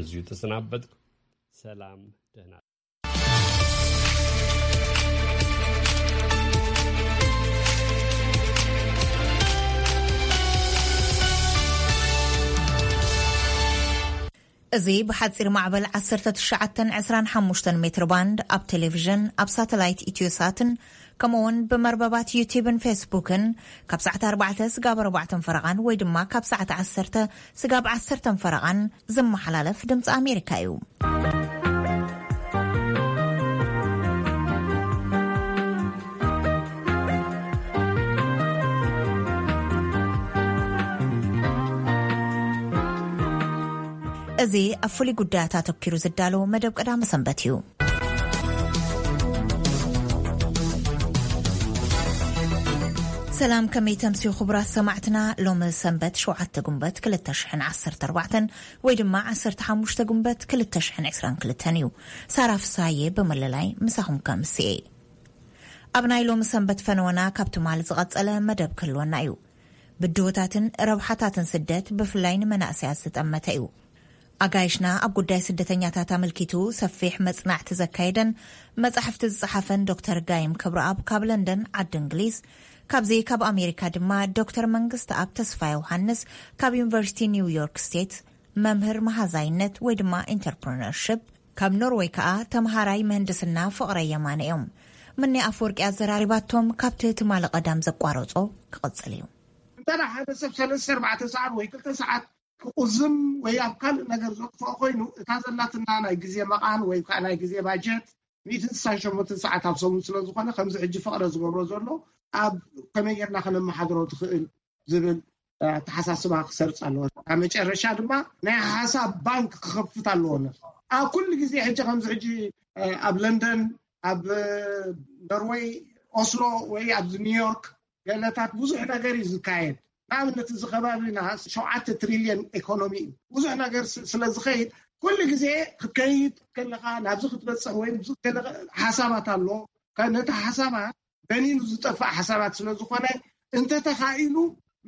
እዚሁ ተሰናበትኩ። ሰላም፣ ደህና። እዚ ብሓጺር ማዕበል ዓሰርተ ትሽዓተን ዕስራን ሓሙሽተን ሜትር ባንድ ኣብ ቴሌቪዥን፣ ኣብ ሳተላይት ኢትዮሳትን ከምኡውን ብመርበባት ዩቲብን ፌስቡክን ካብ ሰዓት ኣርባዕተ ስጋብ ኣርባዕተን ፈረቓን ወይ ድማ ካብ ሰዓት ዓሰርተ ስጋብ ዓሰርተን ፈረቓን ዝመሓላለፍ ድምፂ ኣሜሪካ እዩ። እዚ ኣብ ፍሉይ ጉዳያት ኣተኪሩ ዝዳሎ መደብ ቀዳመ ሰንበት እዩ። ሰላም፣ ከመይ ተምስዩ ክቡራት ሰማዕትና? ሎሚ ሰንበት ሸውዓተ ጉንበት ክልተ ሽሕን ዓሰርተ ኣርባዕተን ወይ ድማ ዓሰርተ ሓሙሽተ ጉንበት ክልተ ሽሕን ዕስራን ክልተን እዩ። ሳራ ፍሳዬ ብምልላይ ምሳኹም ከምስኤ። ኣብ ናይ ሎሚ ሰንበት ፈነወና ካብ ትማሊ ዝቐጸለ መደብ ክህልወና እዩ። ብድሆታትን ረብሓታትን ስደት ብፍላይ ንመናእሰያት ዝጠመተ እዩ። ኣጋይሽና ኣብ ጉዳይ ስደተኛታት ኣመልኪቱ ሰፊሕ መጽናዕቲ ዘካየደን መጻሕፍቲ ዝጸሓፈን ዶክተር ጋይም ክብረኣብ ካብ ለንደን ዓዲ እንግሊዝ፣ ካብዚ ካብ ኣሜሪካ ድማ ዶክተር መንግስቲ ኣብ ተስፋ ዮሃንስ ካብ ዩኒቨርሲቲ ኒው ዮርክ ስቴት መምህር መሃዛይነት ወይ ድማ ኢንተርፕረነርሽፕ፣ ካብ ኖርወይ ከኣ ተምሃራይ ምህንድስና ፍቕረ የማነ እዮም። ምኒ ኣፈወርቂ ኣዘራሪባቶም ካብቲ ትማሊ ቀዳም ዘቋረጾ ክቕጽል እዩ። እንተ ሓደ ሰብ ሰለስተ ኣርባዕተ ሰዓት ወይ ክልተ ሰዓት ክቑዝም ወይ ኣብ ካልእ ነገር ዘጥፍኦ ኮይኑ፣ እታ ዘላትና ናይ ግዜ መቓን ወይ ከዓ ናይ ግዜ ባጀት ሚእትን ስሳን ሸሞንተን ሰዓት ኣብ ሰሙን ስለ ዝኾነ፣ ከምዚ ሕጂ ፍቕረ ዝገብሮ ዘሎ ኣብ ከመይ ጌርና ከነመሓድሮ ትኽእል ዝብል ኣተሓሳስባ ክሰርጽ ኣለዎ። ኣብ መጨረሻ ድማ ናይ ሓሳብ ባንክ ክኸፍት ኣለዎ። ኣብ ኩሉ ግዜ ሕጂ ከምዚ ሕጂ ኣብ ለንደን፣ ኣብ ኖርወይ ኦስሎ ወይ ኣብዚ ኒውዮርክ ገለታት ብዙሕ ነገር እዩ ዝካየድ። ንኣብነት እዚ ከባቢና ሸውዓተ ትሪልዮን ኢኮኖሚ እዩ። ብዙሕ ነገር ስ- ስለ ዝኸይድ ኩሉ ግዜ ክትከይድ ከለኻ ናብዚ ክትበፅሕ ወይ ኣብዚ ከለኻ ሓሳባት ኣሎ። ከ- ነቲ ሓሳባት በኒኑ ዝጠፍእ ሓሳባት ስለ ዝኾነ እንተተኻኢሉ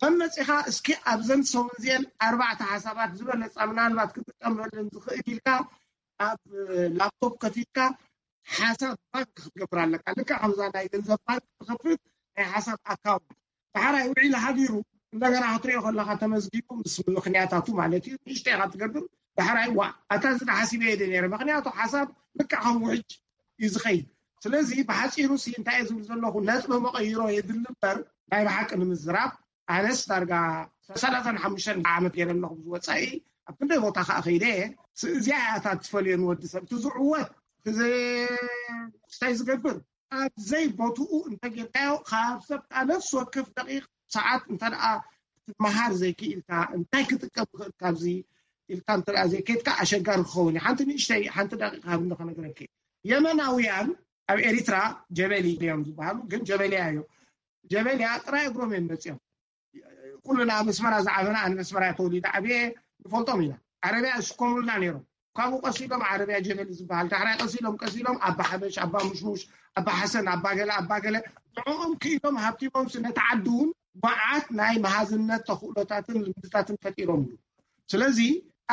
መመፂኻ እስኪ ኣብዘን ሰሙን እዚአን ኣርባዕተ ሓሳባት ዝበለፃ ምናልባት ክትጥቀመለን ዝኽእል ኢልካ ኣብ ላፕቶፕ ከፊትካ ሓሳብ ባንክ ክትገብር ኣለካ። ልክዕ ከምዛ ናይ ገንዘብ ባንክ ትኸፍት ናይ ሓሳብ ኣካውንት። ዳሕራይ ውዒሉ ሓዲሩ እንደገና ክትሪኦ ከለካ ተመዝጊቡ ምስ ምኽንያታቱ ማለት እዩ። ንእሽተይ ኢኻ ትገብር። ዳሕራይ ዋ ኣታ እዚ ሓሲበ እየ ነይረ። ምኽንያቱ ሓሳብ ልክዕ ከም ውሕጅ እዩ ዝኸይድ። ስለዚ ብሓፂሩ ሲ እንታይ እየ ዝብል ዘለኹ፣ ነጥቢ መቐይሮ የድሊ እምበር ናይ ብሓቂ ንምዝራብ ኣነስ ዳርጋ ሰላሳን ሓሙሽተን ዓመት ገይረ ኣለኹ ዝወፃኢ ኣብ ክንደይ ቦታ ከዓ ከይደ እየ። ስ- እዚኣ እያ እታ ትፈልዮ ንወዲ ሰብ እቲ ዝዕወት እቲ ዝ- እንታይ ዝገብር ኣብ ዘይቦትኡ እንተጌርካዮ ካብ ሰብ ከዓ ነፍሲ ወከፍ ደቂቕ ሰዓት እንተ ደኣ ክትመሃር ዘይክኢልካ እንታይ ክጥቀም ይኽእል ካብዚ ኢልካ እንተ ደኣ ዘይከድካ ኣሸጋሪ ክኸውን እዩ። ሓንቲ ንእሽተይ ሓንቲ ደቂቕ ሃብኒ ከነግረኪ። የመናውያን ኣብ ኤሪትራ ጀበሊ እዮም ዝበሃሉ፣ ግን ጀበልያ እዮም። ጀበልያ ጥራይ እግሮም እዮም መፅኦም። ኩልና ኣብ ኣስመራ ዝዓበና ኣነ ኣስመራ ተወሊደ ዓብየ ንፈልጦም ኢና። ዓረብያ ዝሽከሙልና ነይሮም። ካብኡ ቀሲሎም ዓረብያ ጀበሊ ዝበሃል ዳሕራይ ቀሲሎም ቀሲሎም ኣባ ሓበሽ ኣባ ሙሽሙሽ ኣባ ሓሰን ኣባ ገለ ኣባ ገለ ንዕኦም ክኢሎም ሃብቲሞም ስነቲ ዓዲ እውን መዓት ናይ መሃዝነት ተኽእሎታትን ልምድታትን ፈጢሮምሉ። ስለዚ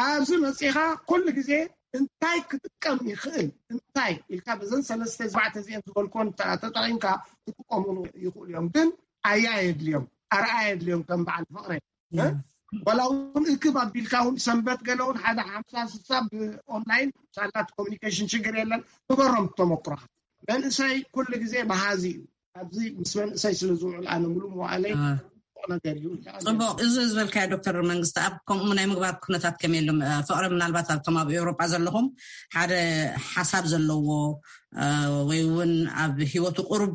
ኣብዚ መፂኻ ኩሉ ግዜ እንታይ ክጥቀም ይኽእል እንታይ ኢልካ በዘን ሰለስተ ኣርባዕተ እዚአን ዝበልኮን ተጠቂምካ ክጥቀሙሉ ይኽእሉ እዮም። ግን ኣያ የድልዮም ኣርኣያ የድልዮም ከም በዓል ፍቕረ ወላ እውን እክብ ኣቢልካ እውን ሰንበት ገለ እውን ሓደ ሓምሳ ስሳ ብኦንላይን ሳላት ኮሚኒኬሽን ሽግር የለን። ንገሮም ተመክሮኻ መንእሰይ ኩሉ ግዜ መሃዚ እዩ። ኣብዚ ምስ መንእሰይ ስለ ዝውዕል ኣነ ሙሉ መዋእለይ ነገር እዩ። ፅቡቅ እዚ ዝበልካዮ ዶክተር መንግስቲ ኣብ ከምኡ ናይ ምግባር ኩነታት ከመይ የሎም ፍቅሪ ምናልባት ኣብቶም ኣብ ኤውሮጳ ዘለኹም ሓደ ሓሳብ ዘለዎ ወይ እውን ኣብ ሂወቱ ቁሩብ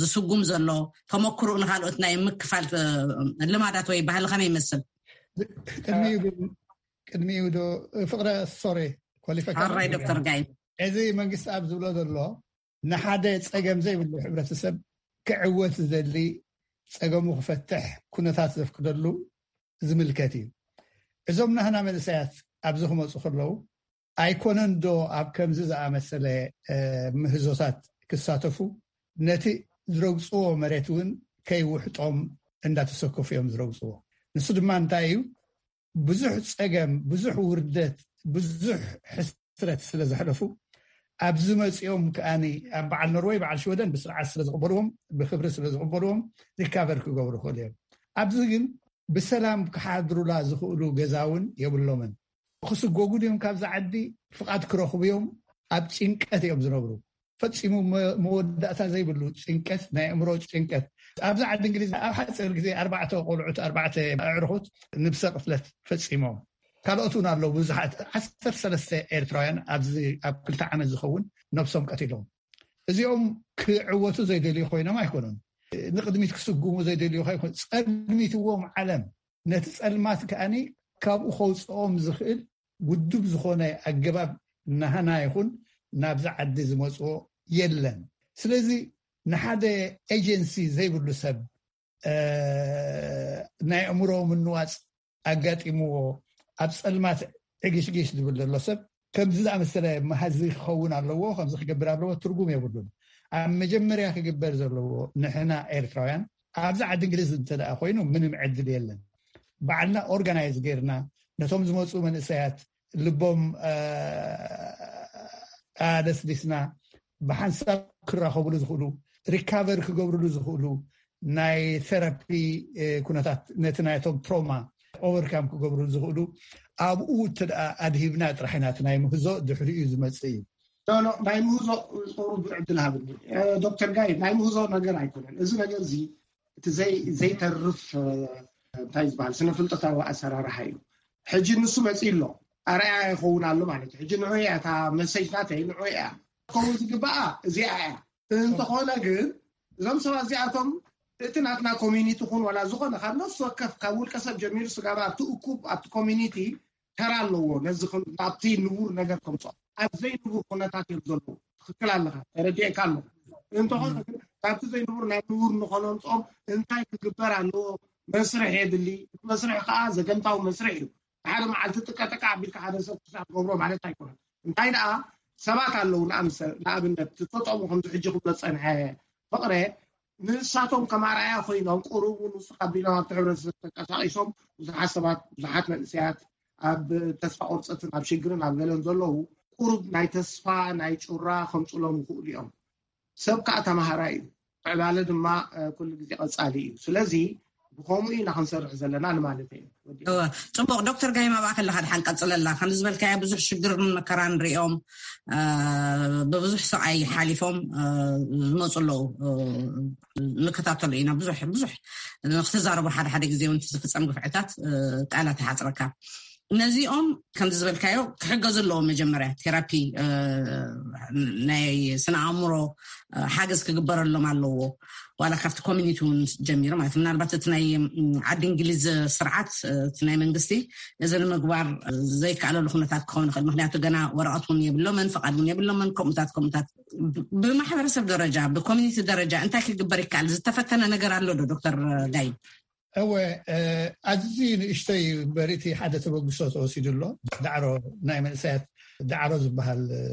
ዝስጉም ዘሎ ተመክርኡ ንካልኦት ናይ ምክፋል ልማዳት ወይ ባህሊ ከመይ ይመስል? ቅድሚኡ ግን ቅድሚኡ ዶ ፍቅረ ሶሬ ኳሊፋይ ኣራይ ዶክተር ጋይ እዚ መንግስቲ ኣብ ዝብሎ ዘሎ ንሓደ ፀገም ዘይብሉ ሕብረተሰብ ክዕወት ዝደሊ ፀገሙ ክፈትሕ ኩነታት ዘፍቅደሉ ዝምልከት እዩ። እዞም ናህና መንእሰያት ኣብዚ ክመፁ ከለዉ ኣይኮነን ዶ ኣብ ከምዚ ዝኣመሰለ ምህዞታት ክሳተፉ ነቲ ዝረግፅዎ መሬት እውን ከይውሕጦም እንዳተሰከፉ እዮም ዝረግፅዎ። ንሱ ድማ እንታይ እዩ ብዙሕ ፀገም ብዙሕ ውርደት ብዙሕ ሕስረት ስለ ዘሕለፉ፣ ኣብዚ መጺኦም ከኣኒ ኣብ በዓል ኖርወይ፣ በዓል ሽወደን ብስርዓት ስለ ዝቕበልዎም፣ ብክብሪ ስለ ዝቕበልዎም፣ ሪካቨር ክገብሩ ይኽእሉ እዮም። ኣብዚ ግን ብሰላም ክሓድሩላ ዝኽእሉ ገዛ እውን የብሎምን። ክስጎጉ ድዮም ካብዛ ዓዲ? ፍቓድ ክረኽቡ እዮም? ኣብ ጭንቀት እዮም ዝነብሩ። ፈጺሙ መ-፣ መወዳእታ ዘይብሉ ጭንቀት፣ ናይ ኣእምሮ ጭንቀት። ኣብዛ ዓዲ እንግሊዝ ኣብ ሓፂር ግዜ ኣርባዕተ ቆልዑት፣ ኣርባዕተ ኣዕርኹት ንብሰ ቅትለት ፈጺሞም። ካልኦት እውን ኣለዉ፣ ብዙሓት። ዓሰርተ ሰለስተ ኤርትራውያን ኣብዚ ኣብ ክልተ ዓመት ዝኸውን ነብሶም ቀቲሎም። እዚኦም ክዕወቱ ዘይደልዩ ኮይኖም ኣይኮኑን። ንቕድሚት ክስጉሙ ዘይደልዩ ኣይኮኑን። ጸልሚትዎም ዓለም። ነቲ ጸልማት ከኣኒ ካብኡ ከውጽኦም ዝኽእል ውዱብ ዝኾነ ኣገባብ ናህና ይኹን ናብዚ ዓዲ ዝመጽኦ የለን። ስለዚ ንሓደ ኤጀንሲ ዘይብሉ ሰብ፣ እ፣ ናይ ኣእምሮ ምንዋጽ ኣጋጢምዎ ኣብ ጸልማት ዕግሽግሽ ዝብል ዘሎ ሰብ ከምዚ ዝኣመሰለ መሃዚ ክኸውን ኣለዎ፣ ከምዚ ክገብር ኣለዎ፣ ትርጉም የብሉን። ኣብ መጀመርያ ክግበር ዘለዎ፣ ንሕና ኤርትራውያን ኣብዚ ዓዲ እንግሊዝ እንተ ደኣ ኮይኑ ምንም ዕድል የለን። ባዕልና ኦርጋናይዝ ጌርና ነቶም ዝመጹ መንእሰያት ልቦም፣ እ፣ ኣደስዲስና ብሓንሳብ ክራኸብሉ ዝኽእሉ፣ ሪካቨር ክገብርሉ ዝኽእሉ ናይ ቴራፒ፣ እ፣ ኩነታት ነቲ ናይቶም ትሮማ ኦቨርካም ክገብርሉ ዝኽእሉ ኣብኡ እንተ ደኣ ኣድሂብና ጥራሕ ኢና እቲ ናይ ምህዞ ድሕሪኡ ዝመጽእ እዩ። ኖ፣ ኖ፣ ናይ ምህዞ ቁሩብ ዕድል ሃብኒ። እ፣ ዶክተር ጋይ፣ ናይ ምህዞ ነገር ኣይኮነን። እዚ ነገር እዚ እቲ ዘይ-፣ ዘይተርፍ፣ እ፣ እንታይ ዝበሃል ስነ ፍልጠታዊ ኣሰራርሓ እዩ። ሕጂ ንሱ መጺኡ ኣሎ። ኣርኣያ ይኸውን ኣሎ ማለት እዩ። ሕጂ ንዑ እያ እታ መሰጅ ናተይ፣ ንዑ እያ። ክኸውን ዝግባኣ እዚኣ እያ። እንተኾነ ግን እዞም ሰባት እዚኣቶም እቲ ናትና ኮሚኒቲ ኹን ዋላ ዝኾነ ካብ ነፍሲ ወከፍ ካብ ውልቀ ሰብ ጀሚሩ ስጋብ ኣብቲ እኩብ ኣብቲ ኮሚኒቲ ተራ ኣለዎ። ነዚ ከም ናብቲ ንቡር ነገር ከምፅኦ ኣብ ዘይንቡር ኩነታት እዮም ዘለዉ። ትኽክል ኣለኻ፣ ተረዲኤካ ኣለኹ። እንተኾነ ግን ካብቲ ዘይንቡር ናብ ንቡር ንኾነምፅኦም እንታይ ክግበር ኣለዎ? መስርሕ የድሊ። እቲ መስርሕ ከዓ ዘገምታዊ መስርሕ እዩ። ሓደ መዓልቲ ጥቀጠቃ ኣቢልካ ሓደ ሰብ ክሳብ ገብሮ ማለት ኣይኮነን። እንታይ ደኣ ሰባት ኣለዉ፣ ንኣምሰ-፣ ንኣብነት ትጠጠሙ ከምዚ ሕጂ ክብሎ ዝጸንሐ ፍቕረ፣ ንሳቶም ከም ኣርኣያ ኮይኖም ቁሩብ እውን ውስኽ ኣቢሎም ኣብቲ ሕብረተሰብ ተንቀሳቒሶም ብዙሓት ሰባት፣ ብዙሓት መንእሰያት ኣብ ተስፋ ቁርፀትን ኣብ ሽግርን ኣብ ገለን ዘለዉ ቁሩብ ናይ ተስፋ ናይ ጩራ ከምፅሎም ይኽእሉ እዮም። ሰብ ከዓ ተማሃራይ እዩ። ምዕባለ ድማ፣ እ፣ ኩሉ ግዜ ቀጻሊ እዩ። ስለዚ ብኸምኡ ኢና ክንሰርሕ ዘለና ንማለት እዩ። ወዲ እወ፣ ጽቡቕ። ዶክተር ጋይም ኣብኣ ከለኻ ድሓን ቀጽለላ። ከም ዝበልካዮ ብዙሕ ሽግርን መከራን ሪኦም፣ እ፣ ብብዙሕ ስቓይ ሓሊፎም፣ እ፣ ዝመጹ ኣለዉ። እ፣ ንከታተሎ ኢና። ብዙሕ፣ ብዙሕ ንክትዛረቡ ሓደ ሓደ ግዜ እውን ዝፍጸም ግፍዕታት፣ እ፣ ቃላት ይሓጽረካ። ነዚኦም ከምዚ ዝበልካዮ ክሕገዙ ኣለዎም። መጀመርያ ቴራፒ፣ እ፣ ናይ ስነ ኣእምሮ፣ እ፣ ሓገዝ ክግበረሎም ኣለዎ። ዋላ ካብቲ ኮሚኒቲ እውን ጀሚሩ ማለት ምናልባት እቲ ናይ፣ ም፣ ዓዲ እንግሊዝ ስርዓት፣ እ፣ እቲ ናይ መንግስቲ እዚ ንምግባር፣ እ፣ ዘይከኣለሉ ኩነታት ክኸውን ይኽእል። ምክንያቱ ገና ወረቐት እውን የብሎምን፣ ፍቓድ እውን የብሎምን። ከምኡታት ከምኡታት ብ-፣ ብማሕበረሰብ ደረጃ ብኮሚኒቲ ደረጃ እንታይ ክግበር ይከኣል? ዝተፈተነ ነገር ኣሎ ዶ ዶክተር ጋይ? እወ፣ እ፣ ኣዝዩ ንእሽተይ እምበር እቲ ሓደ ተበግሶ ተወሲዱ ኣሎ። ዳዕሮ ናይ መንእሰያት ዳዕሮ ዝበሃል፣ እ፣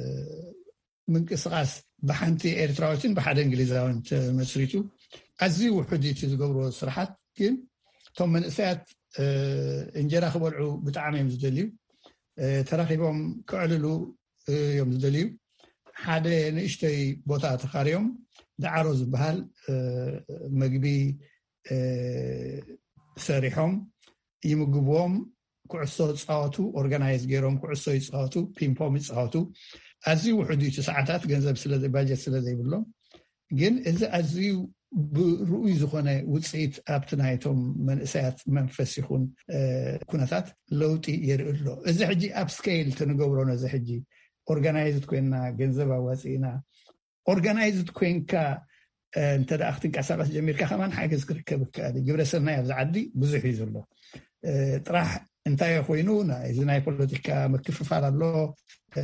ምንቅስቓስ ብሓንቲ ኤርትራዊትን ብሓደ እንግሊዛዊን ተመስሪቱ። ኣዝዩ ውሑድ እዩ እቲ ዝገብርዎ ስራሓት፣ ግን እቶም መንእሰያት፣ እ፣ እንጀራ ክበልዑ ብጣዕሚ እዮም ዝደልዩ። እ፣ ተራኺቦም ክዕልሉ፣ እ፣ እዮም ዝደልዩ። ሓደ ንእሽተይ ቦታ ተኻርዮም ዳዕሮ ዝበሃል፣ እ፣ መግቢ፣ እ፣ ሰሪሖም ይምግብዎም። ኩዕሶ ይጻወቱ፣ ኦርጋናይዝ ገይሮም ኩዕሶ ይጻወቱ፣ ፒንፖም ይጻወቱ። ኣዝዩ ውሑድ እዩ እቲ ሰዓታት፣ ገንዘብ ስለ ዘይ-፣ ባጀት ስለ ዘይብሎም። ግን እዚ ኣዝዩ ብርኡይ ዝኾነ ውጽኢት ኣብቲ ናይቶም መንእሰያት መንፈስ ይኹን፣ እ፣ ኩነታት ለውጢ የርኢ ኣሎ። እዚ ሕጂ ኣብ ስኬል ተንገብሮ፣ ነዚ ሕጂ ኦርጋናይዝድ ኮይንና፣ ገንዘብ ኣዋጺእና፣ ኦርጋናይዝድ ኮይንካ፣ እ፣ እንተ ደኣ ክትንቀሳቐስ ጀሚርካ ከማን ሓገዝ ክርከብ ይከኣል እዩ። ግብረ ሰናይ ኣብዚ ዓዲ ብዙሕ እዩ ዘሎ። እ፣ ጥራሕ እንታይ ኮይኑ ናይ፣ እዚ ናይ ፖለቲካ ምክፍፋል ኣሎ። እ፣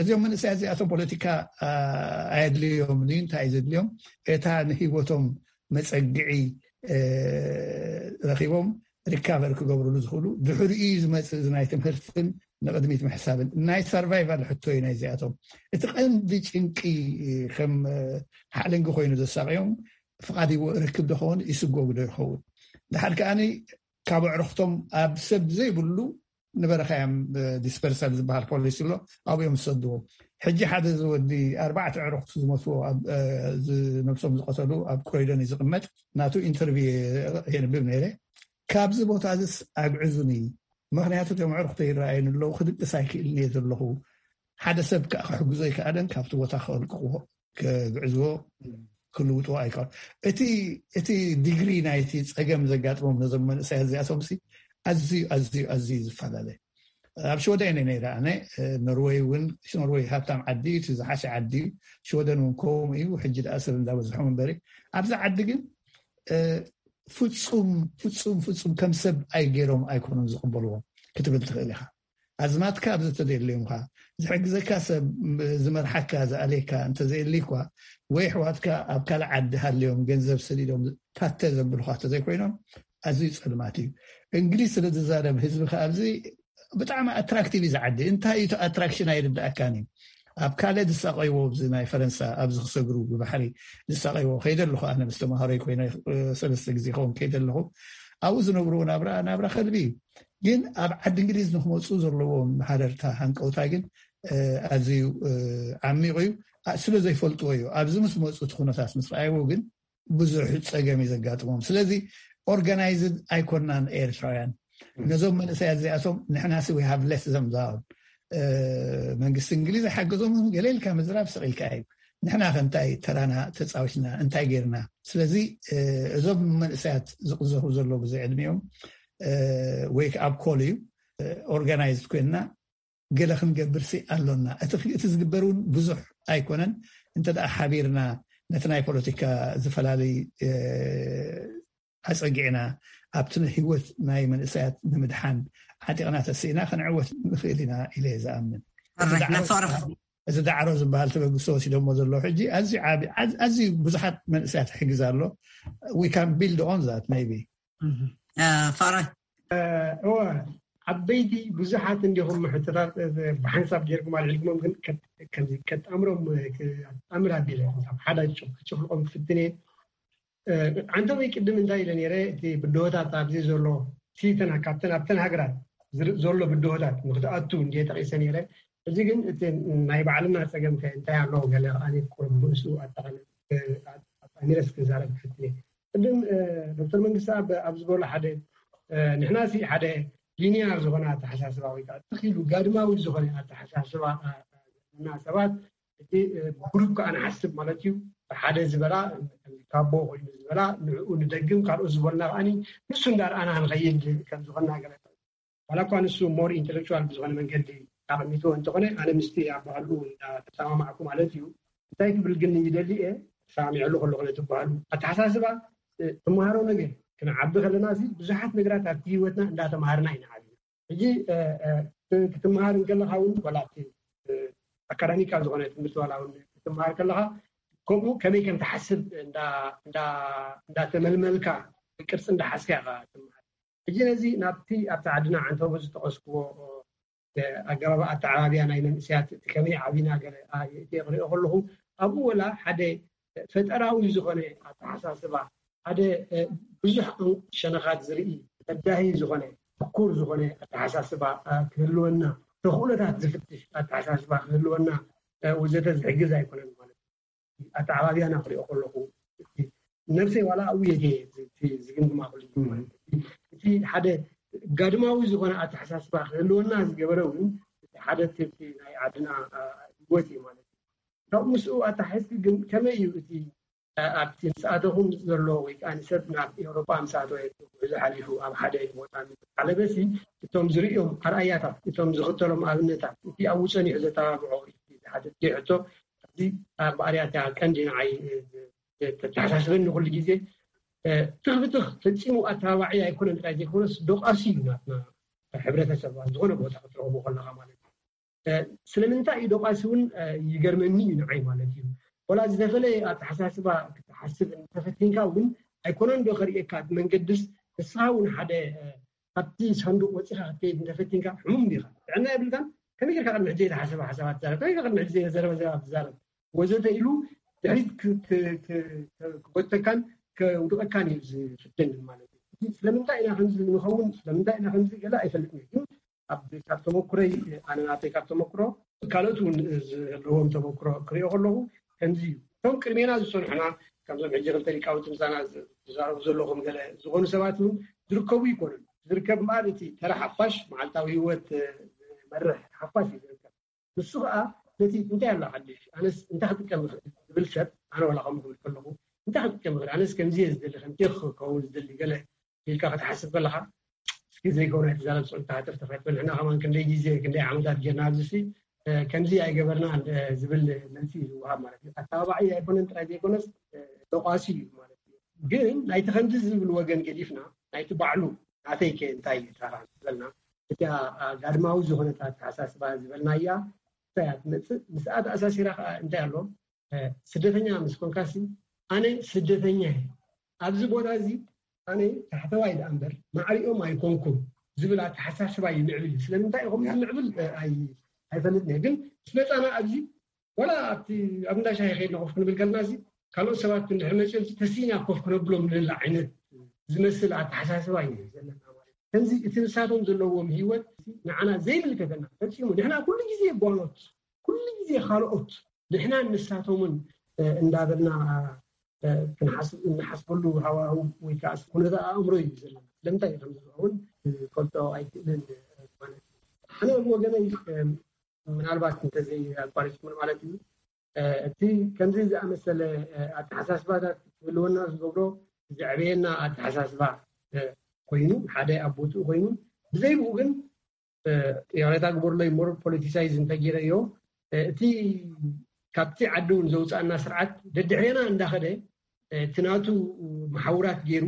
እዚኦም መንእሰያት እዚኣቶም ፖለቲካ፣ እ፣ ኣየድልዮምን እዩ። እንታይ እዩ ዘድልዮም? እታ ንህይወቶም መጸግዒ፣ እ፣ ረኺቦም ሪካቨር ክገብርሉ ዝኽእሉ፣ ድሕሪኡ እዩ ዝመጽእ እዚ ናይ ትምህርትን ንቕድሚት ምሕሳብን። ናይ ሰርቫይቫል ሕቶ እዩ ናይዚኣቶም። እቲ ቀንዲ ጭንቂ ከም፣ እ፣ ሓለንጊ ኮይኑ ዘሳቕዮም፣ ፍቓድ ይወ-፣ ርክብ ዶ ኸውን፣ ይስጎግ ዶ ይኸውን? ድሓር ከኣኒ ካብ ኣዕሩኽቶም ኣብ ሰብ ዘይብሉ ንበረኻ እዮም ዲስፐርሳል ዝበሃል ፖሊሲ ኣሎ ኣብኦም ዝሰድዎም። ሕጂ ሓደ ዝወዲ ኣርባዕተ ዕሩኽቱ ዝሞትዎ ነብሶም ዝቀተሉ ኣብ ክሮይደን እዩ ዝቕመጥ። ናቱ ኢንተርቪው የንብብ ነይረ። ካብዚ ቦታ እዚስ ኣግዕዙኒ፣ ምክንያቱ እቶም ዕሩኽተይ ይረኣዩኒ ኣለዉ፣ ክድቅስ ኣይክእልን እየ ዘለኹ። ሓደ ሰብ ከዓ ክሕግዞ ኣይከኣለን፣ ካብቲ ቦታ ከልቅዎ፣ ክግዕዝዎ፣ ክልውጥዎ ኣይከኣሉ። እቲ ዲግሪ ናይቲ ፀገም ዘጋጥሞም ነዞም መንእሰያት እዚኣቶም ኣዝዩ ኣዝዩ ኣዝዩ ዝፈላለ። ኣብ ሽወደን እየ ነይረ ኣነ። ኖርወይ እውን፣ ኖርወይ ሃብታም ዓዲ እዩ፣ እቲ ዝሓሸ ዓዲ እዩ። ሽወደን እውን ከምኡ እዩ። ሕጂ ደኣ ሰብ እንዳበዝሖም እምበሪ፣ ኣብዚ ዓዲ ግን ፍፁም ፍፁም ፍፁም ከም ሰብ ኣይገይሮም ኣይኮኑን ዝቕበልዎም ክትብል ትኽእል ኢኻ። ኣዝማትካ ኣብዚ ተደልዮምካ፣ ዝሕግዘካ ሰብ፣ ዝመርሓካ፣ ዝኣልየካ እንተዘየልይ እኳ፣ ወይ ኣሕዋትካ ኣብ ካልእ ዓዲ ሃልዮም ገንዘብ ሰዲዶም ፓተ ዘብሉኻ እንተዘይኮይኖም፣ ኣዝዩ ፀልማት እዩ። እንግሊዝ ስለ ዝዛረብ ህዝቢ ከ ኣብዚ ብጣዕሚ ኣትራክቲቭ እዩ ዝዓዲ። እንታይ እዩ እቲ ኣትራክሽን ኣይርዳእካን እዩ። ኣብ ካልእ ዝሳቀይዎ፣ ኣብዚ ናይ ፈረንሳ ኣብዚ ክሰግሩ ብባሕሪ ዝሳቀይዎ ከይደ ኣለኹ ኣነ ምስ ተምሃሮይ ኮይነ፣ ሰለስተ ግዜ ይኸውን ከይደ ኣለኹ። ኣብኡ ዝነብርዎ ናብራ ናብራ ከልቢ እዩ። ግን ኣብ ዓዲ እንግሊዝ ንክመፁ ዘለዎም ሃረርታ ሃንቀውታ ግን ኣዝዩ ዓሚቑ እዩ። ስለ ዘይፈልጥዎ እዩ። ኣብዚ ምስ መፁ እቲ ኩነታት ምስ ረኣይዎ ግን ብዙሕ ፀገም እዩ ዘጋጥሞም። ስለዚ ኦርጋናይዝድ ኣይኮናን ኤርትራውያን። ነዞም መንእሰያት እዚኣቶም ንሕና ሲ we have let them down። መንግስቲ እንግሊዝ ኣይሓገዞም፣ ገለ ኢልካ ምዝራብ ስቕ ኢልካ እዩ። ንሕና ከ እንታይ ተራና ተፃዊትና፣ እንታይ ጌርና? ስለዚ እዞም መንእሰያት ዝቕዘፉ ዘለዉ ብዘይ ዕድሚኦም ወይ ከዓ ኣብ ኮል እዩ፣ ኦርጋናይዝድ ኮይንና ገለ ክንገብር ሲ ኣሎና። እቲ ዝግበር እውን ብዙሕ ኣይኮነን። እንተ ደኣ ሓቢርና ነቲ ናይ ፖለቲካ ዝፈላለይ ኣጸጊዕና ኣብቲ ህይወት ናይ መንእሰያት ንምድሓን ዓጢቕና ተሲእና ክንዕወት ንኽእል ኢና ኢለ እየ ዝኣምን። እዚ ዳዕሮ ዝበሃል ተበግሶ ወሲዶሞ ዘሎ ሕጂ ኣዝዩ ብዙሓት መንእሰያት ይሕግዝ ኣሎ። We can build on that maybe. ፍቕረ እወ፣ ዓበይቲ ብዙሓት እንዲኹም ሕቶታት ብሓንሳብ ጌርኩም ኣልዒልኩሞም፣ ግን ከጣምሮም ኣጣምር ኣቢለ ሓደ ክጭፍልቆም ክፍትን እየ። ዓንተወይ ቅድም እንታይ ኢለ ነይረ፣ እቲ ብድሆታት ኣብዚ ዘሎ ሲተን ካብተን ኣብተን ሃገራት ዘሎ ብድሆታት ንክትኣቱ እንዲየ ጠቂሰ ነይረ። እዚ ግን እቲ ናይ ባዕልና ፀገም ከ እንታይ ኣለዎ ገለ ኣነ ቁሩብ ንእሱ ኣጠቃለ ኣጣሚረስ ክዛረብ ክፍትን እየ። ቅድም ዶክተር መንግስቲ ኣብ ዝበሎ ሓደ ንሕና ሲ ሓደ ሊኒያር ዝኾነ ኣተሓሳስባ ወይ ከዓ ትኽ ኢሉ ጋድማዊ ዝኾነ ኣተሓሳስባ ዘለና ሰባት እቲ ግሩፕ ከዓ ንሓስብ ማለት እዩ። ሓደ ዝበላ ካቦ ኮይኑ ዝበላ ንዕኡ ንደግም ካልኦት ዝበሉና ከዓ ንሱ እንዳርኣና ንኸይድ ከም ዝኾንና ገለ ዋላ እኳ ንሱ ሞር ኢንተሌክቹዋል ብዝኾነ መንገዲ ኣቐሚጥዎ እንተኾነ ኣነ ምስቲ ኣባህልኡ እንዳተሰማማዕኩ ማለት እዩ። እንታይ ክብል ግን ይደሊ እየ ተሰማሚዐሉ ከለኹ ነቲ ባህሉ ኣተሓሳስባ ትመሃሮ ነገር ክንዓቢ ከለና እዚ ብዙሓት ነገራት ኣብቲ ህይወትና እንዳተምሃርና ኢና ዓብና። ሕጂ ክትምሃር እንከለካ እውን ዋላ ኣብቲ ኣካዳሚካ ዝኾነ ትምህርቲ ዋላ እውን ክትምሃር ከለካ ከምኡ ከመይ ከም ትሓስብ እንዳተመልመልካ ቅርፂ እንዳሓዝካ ኢኻ ትምሃር። ሕጂ ነዚ ናብቲ ኣብቲ ዓድና ዓንተቦ ዝጠቐስክዎ ኣገባብ ኣተዓባብያ ናይ መንእሰያት እቲ ከመይ ዓቢና ገለ ክሪኦ ከለኹ ኣብኡ ወላ ሓደ ፈጠራዊ ዝኾነ ኣተሓሳስባ ሓደ ብዙሕ ሸነኻት ዝርኢ በዳሂ ዝኾነ ትኩር ዝኾነ ኣተሓሳስባ ክህልወና ተኽእሎታት ዝፍትሽ ኣተሓሳስባ ክህልወና ወዘተ ዝሕግዝ ኣይኮነን ማለት እዩ። ኣተዓባብያና ክሪኦ ከለኹ ነብሰይ ዋላ ኣብኡ የድየ ዝግምግማ ኩሉ እቲ ሓደ ጋድማዊ ዝኾነ ኣተሓሳስባ ክህልወና ዝገበረ እውን እቲ ሓደ ትብቲ ናይ ዓድና ህይወት እዩ ማለት እዩ። ካብ ምስኡ ኣተሓሒዝኪ ግን ከመይ እዩ እቲ ኣብቲ ምስ ኣተኹም ዘሎ ወይ ከዓ ንሰብ ናብ ኤውሮጳ ምስ ኣተወ ጉዕዞ ሓሊፉ ኣብ ሓደ ቦታ ምስ ዓለበሲ እቶም ዝርእዮም ኣርኣያታት እቶም ዝኽተሎም ኣብነታት እቲ ኣብኡ ጸኒሑ ዘተባብዖ እቲ ዝሓተትኪ ሕቶ እዚ ኣብ ኣርያታ ቀንዲ ንዓይ ተተሓሳስበኒ ኩሉ ግዜ ትኽ ብትኽ ፈጺሙ ኣተባባዒ ኣይኮነን ጥራይ ዘይኮነስ ዶቃሲ እዩ ናትና ሕብረተሰብ ዝኾነ ቦታ ክትረኽቦ ከለካ ማለት እዩ። ስለምንታይ እዩ ዶቃሲ እውን ይገርመኒ እዩ ንዓይ ማለት እዩ። ወላ ዝተፈለየ ኣተሓሳስባ ክትሓስብ እንተፈቲንካ እውን ኣይኮነን ዶ ከርእየካ እቲ መንገድስ ንስኻ እውን ሓደ ካብቲ ሳንዱቅ ወፂኻ ክትከይድ እንተፈቲንካ ሕሙም ዲኻ? ጥዕና የብልካን። ከመይ ጌርካ ቅድሚ ሕጂ ዘይተሓሰበ ሓሳባት ትዛረብ? ከመይ ጌርካ ቅድሚ ሕጂ ዘይተዘረበ ዘረባ ትዛረብ? ወዘተ ኢሉ ድሕሪት ክጎተካን ከውድቀካን እዩ ዝፍትን ማለት እዩ። ስለምንታይ ኢና ከምዚ ንኸውን ስለምንታይ ኢና ከምዚ ገለ ኣይፈልጥን እዩ። ግን ኣብ ካብ ተመኩረይ ኣነ ናተይ ካብ ተመኩሮ ካልኦት እውን ዘለዎም ተመኩሮ ክሪኦ ከለኹ ከምዚ እዩ። እቶም ቅድሜና ዝፀንሑና ከምዞም ሕጂ ክልተ ሊቃውንቲ ምሳና ዝዛረቡ ዘለኹም ገለ ዝኾኑ ሰባት እውን ዝርከቡ ይኮኑን። ዝርከብ እምበኣር እቲ ተራ ሓፋሽ መዓልታዊ ህይወት ዝመርሕ ሓፋሽ እዩ ዝርከብ። ንሱ ከዓ ነቲ እንታይ ኣሎ ሓድሽ ኣነስ እንታይ ክጥቀም ይኽእል ዝብል ሰብ ኣነ ዋላ ከምኡ ክብል ከለኹ እንታይ ክጥቀም ይኽእል ኣነስ ከምዚ እየ ዝደሊ ከምቲ ክኸውን ዝደሊ ገለ ኢልካ ክትሓስብ ከለኻ እስኪ ዘይከውን ኣይትዛረብ ስዑል ተሃተፍ ተፋትበል ንሕና ከማን ክንደይ ግዜ ክንደይ ዓመታት ጌርና ኣብዚ ሲ ከምዚ ኣይገበርና ዝብል መልሲ እዩ ዝወሃብ ማለት እዩ። ኣተባባዒ ኣይኮነን ጥራይ ዘይኮነስ ተቋሲ እዩ ማለት እዩ። ግን ናይቲ ከምዚ ዝብል ወገን ገዲፍና ናይቲ ባዕሉ ናተይ ከ እንታይ እዩ ተራ ዝበልና እቲ ጋድማዊ ዝኾነት ኣተሓሳስባ ዝበልናያ እንታይ እያ ትመፅእ? ምስኣ ተኣሳሲራ ከዓ እንታይ ኣሎ? ስደተኛ ምስ ኮንካሲ ኣነ ስደተኛ እየ። ኣብዚ ቦታ እዚ ኣነ ታሕተዋይ ደኣ እምበር ማዕሪኦም ኣይኮንኩን ዝብል ኣተሓሳስባ ይምዕብል እዩ። ስለምንታይ ኢኹም ዝምዕብል ኣይፈልጥን እየ። ግን ምስ መፃና ኣብዚ ወላ ኣብቲ ኣብ እንዳ ሻሂ ከይድና ኮፍ ክንብል ከለና እዚ ካልኦት ሰባት እንድሕር መፅኦም ተሲእና ኮፍ ክነብሎም ንደሊ ዓይነት ዝመስል ኣተሓሳስባ እዩ ዘለና ማለት ከምዚ እቲ ንሳቶም ዘለዎም ህይወት ንዓና ዘይምልከተና ፈፂሙ ንሕና ኩሉ ግዜ ጓኖት ኩሉ ግዜ ካልኦት ንሕና ንሳቶምን እንዳበልና ክንሓስብ እንሓስበሉ ሃዋህው ወይ ከዓ ኩነታ ኣእምሮ እዩ ዘለና። ስለምንታይ እዩ ከምዝኸውን ፈልጦ ኣይክእልን ማለት እዩ። ኣነ ወገነይ ምናልባት እንተዘይ ኣቋሪፅኩም ማለት እዩ እቲ ከምዚ ዝኣመሰለ ኣተሓሳስባታት ክህልወና ዝገብሮ ዘዕበየና ኣተሓሳስባ ኮይኑ ሓደ ኣብ ቦትኡ ኮይኑ ብዘይብኡ ግን ይቕሬታ ግበሩለይ more politicized እንተገይረዮ እቲ ካብቲ ዓዲ እውን ዘውፅኣና ስርዓት ደድሕሬና እንዳኸደ እቲ ናቱ መሓውራት ገይሩ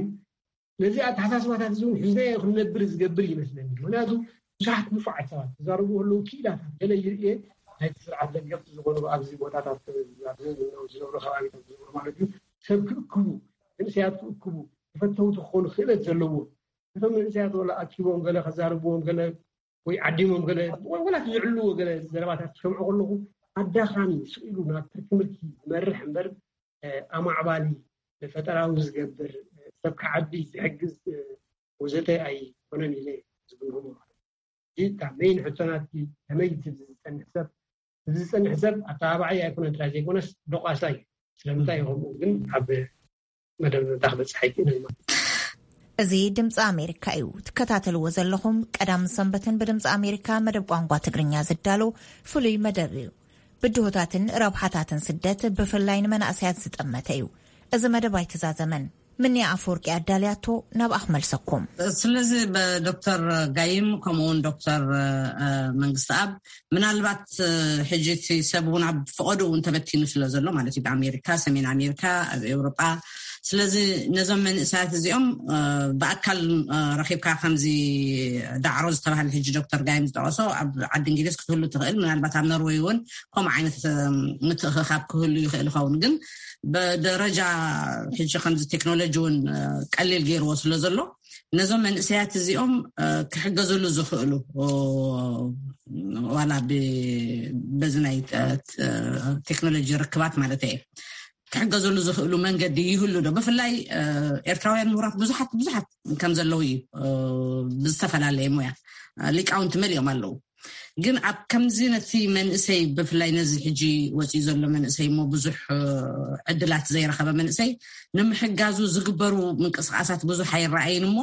ነዚ ኣተሓሳስባታት እዚ እውን ሒዝናዮ ክንነብር ዝገብር ይመስለኒ። ምክንያቱ ብዙሓት ንፉዓት ሰባት ዝዛረቡ ከለዉ ክኢላታት ገለ ይርእየ ናይቲ ስርዓት ደገፍቲ ዝኾኑ ኣብዚ ቦታታት ኣብዚ ዝነብሩ ከባቢታት ዝነብሩ ማለት እዩ ሰብ ክእክቡ መንእሰያት ክእክቡ ተፈተውቲ ክኾኑ ክእለት ዘለዎ እቶም መንእሰያት ወላ ኣኪቦም ገለ ከዛርብዎም ገለ ወይ ዓዲሞም ገለ ወላ ዝዕልዎ ገለ ዘረባታት ክሰምዑ ከለኹ ኣዳኻሚ ስቕ ኢሉ ናብ ትርኪ ምርኪ ዝመርሕ እምበር ኣማዕባሊ ፈጠራዊ ዝገብር ሰብ ክዓቢ ዝሕግዝ ወዘተ ኣይኮነን ኢለ ዝግምግሞ ማለት እዩ። ካብ መይን ሕቶናት ከመይ ዝፀንሕ ሰብ እዚ ዝፀንሕ ሰብ ኣተባባዓይ ኣይኮነን ጥራይ ዘይኮነስ ዶቃሳ እዩ። ስለምንታይ ይኸምኡ ግን ኣብ መደብ ታ ክበፅሕ ኣይክእልን ማለት እዩ። እዚ ድምፂ ኣሜሪካ እዩ ትከታተልዎ ዘለኹም። ቀዳም ሰንበትን ብድምፂ ኣሜሪካ መደብ ቋንቋ ትግርኛ ዝዳሎ ፍሉይ መደብ እዩ። ብድሆታትን ረብሓታትን ስደት ብፍላይ ንመናእሰያት ዝጠመተ እዩ። እዚ መደብ ኣይተዛዘመን። ምንያ ኣፈወርቂ ኣዳልያቶ ናብኣ ክመልሰኩም። ስለዚ ብዶክተር ጋይም ከምኡውን ዶክተር መንግስቲ ኣብ ምናልባት ሕጂ እቲ ሰብ እውን ኣብ ፈቐዱ እውን ተበቲኑ ስለ ዘሎ ማለት እዩ ብኣሜሪካ ሰሜን ኣሜሪካ ኣብ ኤውሮጳ ስለዚ ነዞም መንእሰያት እዚኦም ብኣካል ረኪብካ ከምዚ ዳዕሮ ዝተባሃለ ሕጂ ዶክተር ጋይም ዝጠቀሶ ኣብ ዓዲ እንግሊዝ ክትህሉ ትኽእል ምናልባት ኣብ ኖርወይ እውን ከምኡ ዓይነት ምትእኽኻብ ክህሉ ይኽእል ይኸውን ግን ብደረጃ ሕጂ ከምዚ ቴክኖሎጂ እውን ቀሊል ገይርዎ ስለ ዘሎ ነዞም መንእሰያት እዚኦም ክሕገዝሉ ዝኽእሉ ዋላ በዚ ናይ ቴክኖሎጂ ርክባት ማለት እየ ክሕገዝሉ ዝኽእሉ መንገዲ ይህሉ ዶ ብፍላይ ኤርትራውያን ምሁራት ብዙሓት ብዙሓት ከም ዘለዉ እዩ ብዝተፈላለየ ሙያ ሊቃውንቲ መሊኦም ኣለዉ ግን ኣብ ከምዚ ነቲ መንእሰይ ብፍላይ ነዚ ሕጂ ወፂኡ ዘሎ መንእሰይ እሞ ብዙሕ ዕድላት ዘይረኸበ መንእሰይ ንምሕጋዙ ዝግበሩ ምንቅስቃሳት ብዙሕ ኣይረኣይን እሞ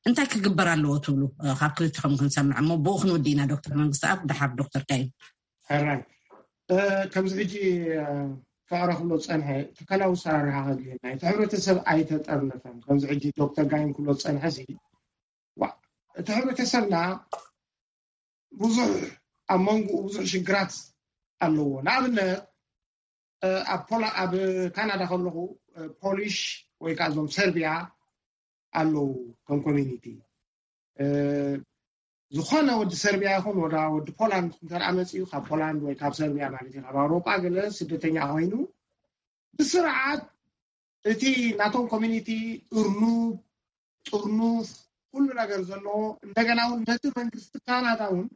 እንታይ ክግበር ኣለዎ ትብሉ ካብ ክልትኹም ክንሰምዕ እሞ ብኡ ክንወዲ ኢና ዶክተር መንግስቲ ኣብ ድሓር ዶክተር ካይን ሕራይ ከምዚ ሕጂ ፍቅረ ክብሎ ዝፀንሐ ትካላዊ ሰራርሓ ከድልየና እቲ ሕብረተሰብ ኣይተጠርነፈን ከምዚ ሕጂ ዶክተር ጋይም ክብሎ ዝፀንሐ ሲ እቲ ሕብረተሰብና ብዙሕ ኣብ መንጎኡ ብዙሕ ሽግራት ኣለዎ ንኣብነት ኣብ ካናዳ ከለኹ ፖሊሽ ወይ ከዓ እዞም ሰርቢያ ኣለዉ ከም ኮሚኒቲ ዝኾነ ወዲ ሰርቢያ ይኹን ወላ ወዲ ፖላንድ እንተደኣ መፂኡ ካብ ፖላንድ ወይ ካብ ሰርቢያ ማለት እዩ ካብ ኣውሮጳ ገለ ስደተኛ ኮይኑ ብስርዓት እቲ ናቶም ኮሚኒቲ እርኑብ ጥርኑፍ ኩሉ ነገር ዘለዎ እንደገና እውን ነቲ መንግስቲ ካናዳ እውን